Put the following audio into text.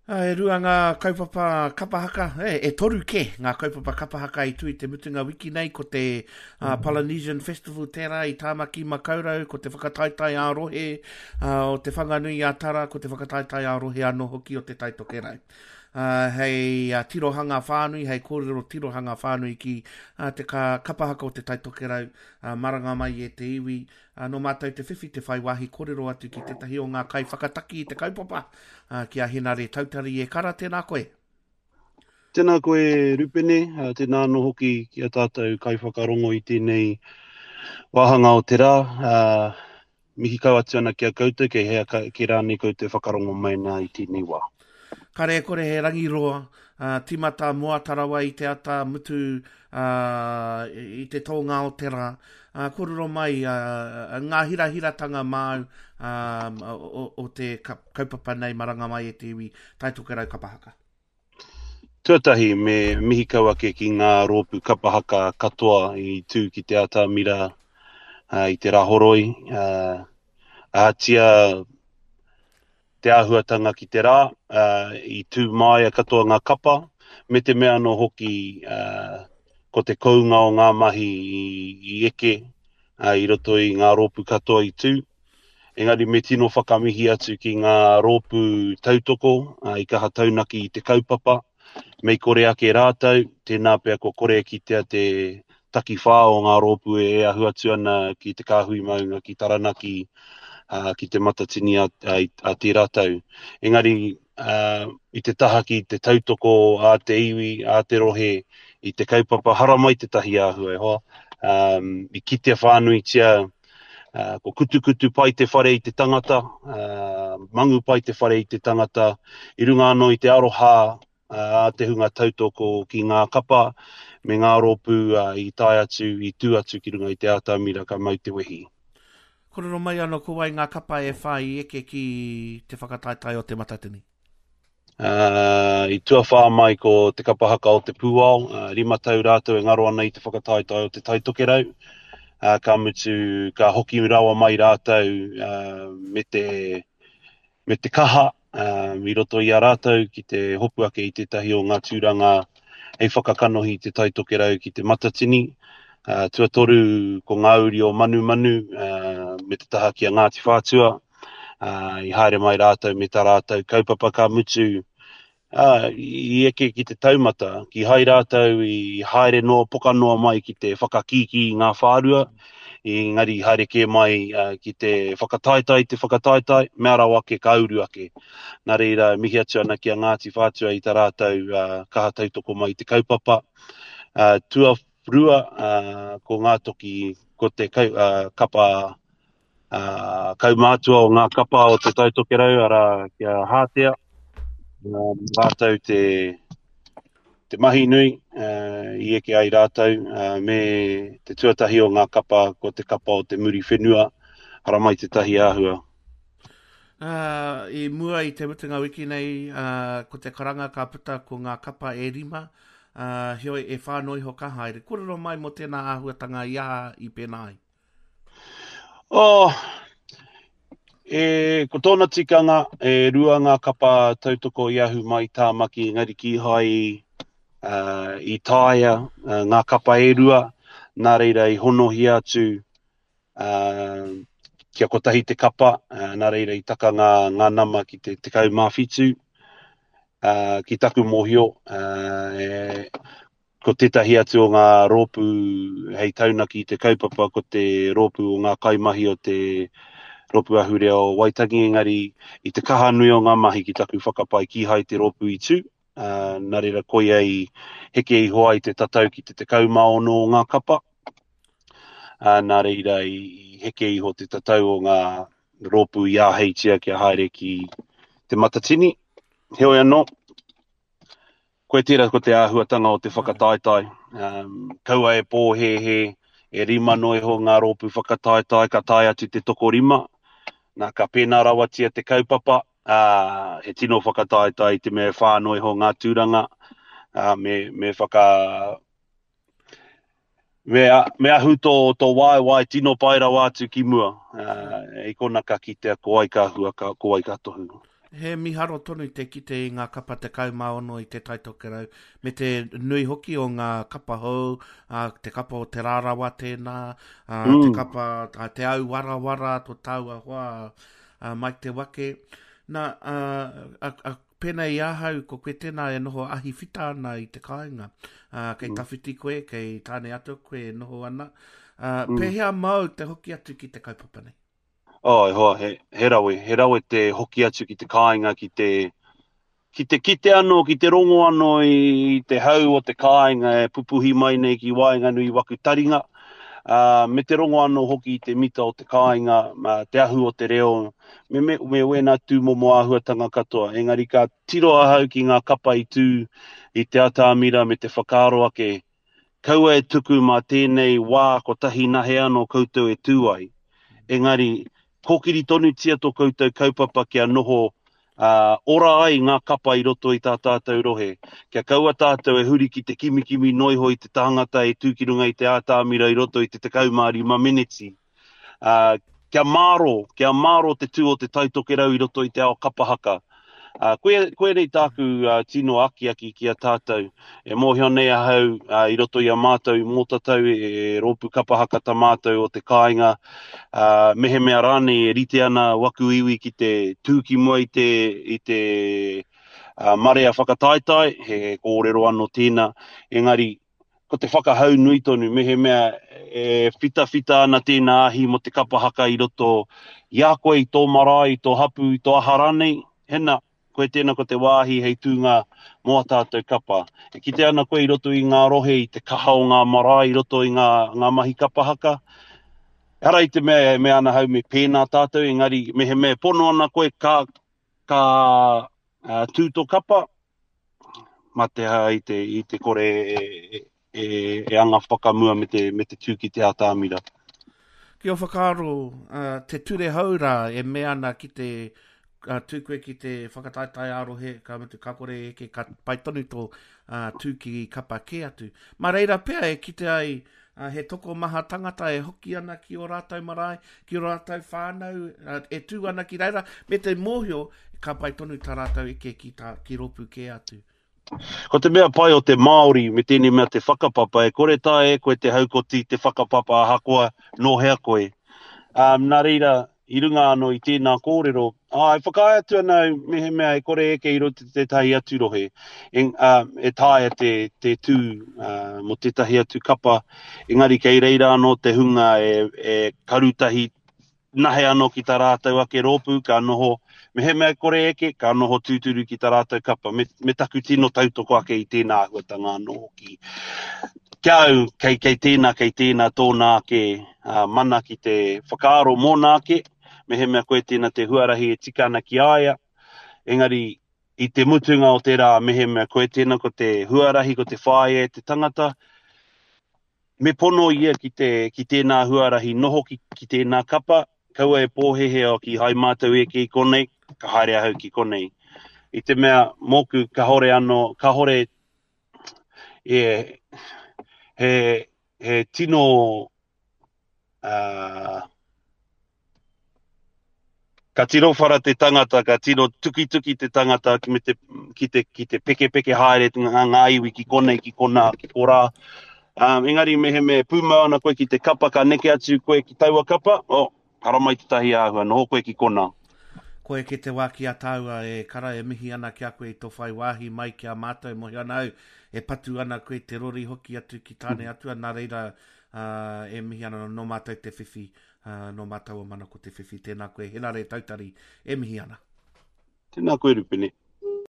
E rua ngā kaupapa kapa haka, e, e toru kē ngā kaupapa kapa haka i tū i te mutunga wiki nei, ko te uh, Polynesian Festival tērā i Tāmaki Makaurau, ko te whakataetae ā-rohe uh, o Te Whanganui a Tara, ko te whakataetae ā-rohe anō hoki o Te Tai Tokerau. Uh, hei uh, tirohanga whānui, hei kōrero tirohanga whānui ki uh, te ka, kapa haka o Te Tai Tokerau, uh, maranga mai e te iwi, Ā, nō mātou te whiwhi te whai wāhi kōrero atu ki tētahi o ngā kaiwhakataki i te kaupapa, ā, ki a Henare Tautari e Kara, tēnā koe. Tēnā koe Rupene, ā, tēnā anō hoki ki a tātou kaiwhakarongo i tēnei wāhanga o te rā. Ā, mihi kau atu ana ki a koutou, kei hea kē rānei koutou whakarongo mai nā i tēnei wā. Kare e kore he rangi roa, ā, tīmata moata rawa i te ata, mutu, ā, i te tōnga o te rā. Ā, kōrero mai, ā, ngā hirahiratanga māu, ā, o, o te kaupapa nei Maranga Mai e te Iwi, Tai Tokerau Kapa Haka. Tuatahi, me mihi kau ake ki ngā rōpū kapa haka katoa i tū ki te atamira i te Rāhoroi. Ahatia te āhuatanga ki te rā, i tū māia katoa ngā kapa, me te mea anō hoki ko te kounga o ngā mahi i eke i roto i ngā rōpū katoa i tū. Engari me tino whakamihi atu ki ngā rōpū tautoko i kaha taunaki i te kaupapa. Mei kore ake rātou, tēnā pea kua kore e kitea te takiwhā o ngā rōpū e ahu atu ana ki te kāhui maunga, ki Taranaki, ki Te Matatini a, a, a tērā tau. Engari, i te taha ki te tautoko a te iwi, a te rohe, i te kaupapa haramai tētahi āhua e hoa, um, i kitea whānuitia Uh, ko kutukutu pai te whare i te tangata, uh, mangu pai te whare i te tangata, i runga anō i te aroha uh, a te hunga tautoko ki ngā kapa me ngā rōpū uh, i tae atu, i tū atu ki runga i te atamira ka mau te wehi. Kōrero mai anō ko wai ngā kapa e whā i eke ki te whakataetae o Te Matatini? Uh, I tuawhā mai ko te kapa haka o te Pūao, uh, 5 tau rātou e ngaro ana i te whakataetae o Te Tai Tokerau. Uh, ka mutu, ka hoki rawa mai rātou uh, me, te, me te kaha uh, i roto i a rātou ki te hopu ake i tētahi o ngā tūranga hei whakakanohi i Te Tai Tokerau ki te Matatini. Uh, tuatoru ko ngā uri o Manumanu uh, me te taha ki a Ngāti Whātua. Ā, i haere mai rātou me tā rātou kaupapa ka mutu, ā, i eke ki te taumata, kīhai rātou i haere noa, poka noa mai ki te whakakīkī i ngā whārua, engari i haere kē mai ki te whakataetae i te whakataetae, mea rawa ake ka uru ake. Nā reira, e mihi atu ana ki a Ngāti Whātua i tā rātou kaha tautoko mai i te kaupapa. Tuarua, ko Ngā Toki, ko te kapa ā, kaumātua o ngā kapa o Te Tai Tokerau, arā, ki a Hātea, ā, rātou te, te mahi nui ā, i eke ai rātou, ā, me te tuatahi o ngā kapa, ko te kapa o te muri whenua, haramai tētahi āhua. Ā, i mua i te mutunga wiki nei, ā, ko te karanga ka puta ko ngā kapa e rima, ā, heoi e whā noa iho ka haere. Kōrero mai mō tēnā āhuatanga i aha i pēnā ai? Oh, e, ko tōna tikanga, e rua ngā kapa tautoko i ahu mai Tāmaki, engari kīhai uh, i taea uh, ngā kapa e rua, nā reira i honohia atu uh, kia kotahi te kapa, uh, nā reira i taka ngā, ngā nama ki te 17, uh, ki taku mōhio, uh, e, Ko tētahi atu o ngā rōpū hei taunaki i te kaupapa ko te rōpū o ngā kaimahi o te Rōpū Ahurea o Waitangi, engari i te kaha nui o ngā mahi ki taku whakapae kīhai te rōpū i tū, ā, nā reira koia i heke iho ai te tatau ki te 16 o ngā kapa, ā, nā reira i heke iho te tatau o ngā rōpū i āheitia kia haere ki Te Matatini. Heoi anō, Koe tērā ko te āhuatanga o te whakataetae. Um, kaua e pōhēhē, e rima noa iho ngā rōpū whakataetae, ka tae atu te tokorima. Nā, ka pēnā rawatia te kaupapa, ā, he tino whakataetae i te mea e whā noa iho ngā tūranga, ā, me, me whaka, Me, me ahu tō, tō waewae tino pai rawa atu ki mua. Uh, I kona ka kitea ko wai ka hua, ka, ko wai ka tohu. He miharo tonu te kite i ngā kapa 16 i Te Tai Tokerau, me te nui hoki o ngā kapa hou, ā, te kapa o Te Rarawa tēnā, ā, mm. te kapa a Te Auwarawara, tō tāua hoa, a Mike Te Wake. Nā, a, a, a, pēnei i ahau, ko koe tēnā e noho ahi whita ana i te kāinga. Ā, kei mm. tawhiti koe, kei tāne atu koe e noho ana. Ā, mm. pēhea māu te hoki atu ki te kaupapa nei? Oh, e hoa, he, he rawe, he rawe te hoki atu ki te kāinga, ki te, ki te kite anō, ki te rongo anō i te hau o te kāinga e pupuhi mai nei ki waenganui i waku taringa, uh, me te rongo anō hoki i te mita o te kāinga, uh, te ahu o te reo, me, me, me wēnā tūmomo āhuatanga katoa. Engari ka tiro ahau ki ngā kapa i tū i te atamira me te whakaaro ake, Kaua e tuku mā tēnei wā kotahi nahe anō koutou e tū ai. Engari, kōkiri tonutia tō koutou kaupapa kia noho ā, ora ai ngā kapa i roto i tā tātou rohe. Kia kaua tātou e huri ki te kimikimi noiho i te tāngata e tū ki runga i te ātamira i roto i te 15 meneti. Ā, kia mārō, kia mārō te tū o Te Tai Tokerau i roto i te ao kapa haka. Ā, koia, koinei tāku uh, tino akiaki ki a tātou. E mōhio nei ahau uh, i roto i a mātou i Mōtatau, e, e rōpū kapa haka ta mātou o te kāinga, uh, mehemea rānei e rite ana waku iwi ki te tū ki mua i te, i te uh, marea whakataetae, he kōrero anō tēnā, engari ko te whakahau nui tonu, mehemea e whitawhita ana tēnā ahi mō te kapa haka i roto i a koe, i tō marae, i tō hapū, i tō aha rānei, hena, koe tēnā ko te wāhi hei tūnga mō a tātou kapa. E kite ana koe i roto i ngā rohe, i te kaha o ngā marae i roto i ngā, ngā mahi kapa haka. Ehara i te mea e mea ana hau me pēnā tātou, engari mehemea e pono ana koe ka, ka uh, tū tō kapa, mā te aha i te, i te kore e, e, e, e anga whakamua me te, me te tū ki te atamira. Ki o whakaaro, uh, te ture hou rā e mea ana ki te uh, tū koe ki te whakataetae ā-rohe, ka mutu ka kore eke, ka pai tonu tō uh, tū ki kapa kē atu. Mā reira pea e kite ai uh, he tokomaha tangata e hoki ana ki ō rātou marae, ki ō rātou whānau, uh, e tū ana ki reira, me te mōhio ka pai tonu tā rātou eke ki, tā, ki rōpū kē atu. Ko te mea pai o te Māori me tēnei mea te whakapapa, e kore taea e koe te haukoti te whakapapa ahakoa nō hea koe. Um, nā reira, i runga anō i tēnā kōrero, ā, e whakaae atu ana au mehemea e kore eke i roto i tētahi atu rohe, e, ā, e taea te, te tū ā, mō tētahi atu kapa, engari kei reira anō te hunga e, e karutahi nahe anō ki tā rātou ake rōpū, ka noho, mehemea e kore eke, ka noho tūturu ki tā rātou kapa, me, me taku tino tautoko ake i tēnā āhuatanga anō hoki. Ki a au, kei, kei tēnā, kei tēnā tōna ake uh, mana ki te whakaaro mōna ake, mehemea koe tēnā te huarahi e tika ana ki a ia, engari i te mutunga o te rā, mehemea koe tēnā ko te huarahi, ko te whāia e te tangata, me pono ia ki, te, ki tēnā huarahi noho ki, ki tēnā kapa, kaua e pōhehe o ki hai mātou eke i konei, ka haere ahau ki konei. I te mea, mōku, kahore anō, kahore e, he, he tino uh, ka tino whara te tangata, ka tino tukituki te tangata ki, me te, ki, te, ki te pekepeke haere ngā, ngā iwi ki konei, ki konā, ki korā. Um, engari mehemea e pūmau ana koe ki te kapa, ka neke atu koe ki taua kapa, oh, haramai tētahi āhua, noho koe ki konā. Ko eke te wā ki a tāua e kara e mihi ana ki a koe i tō whai wāhi mai ki a mātou, mōhio ana au e patu ana koe te rori hoki atu ki Tāne Atua, nā reira e mihi ana nō mātou te whiwhi, nō mātou o Mana ko te whiwhi, tēnā koe Henare Tautari e mihi ana. Tēnā koe Rupene.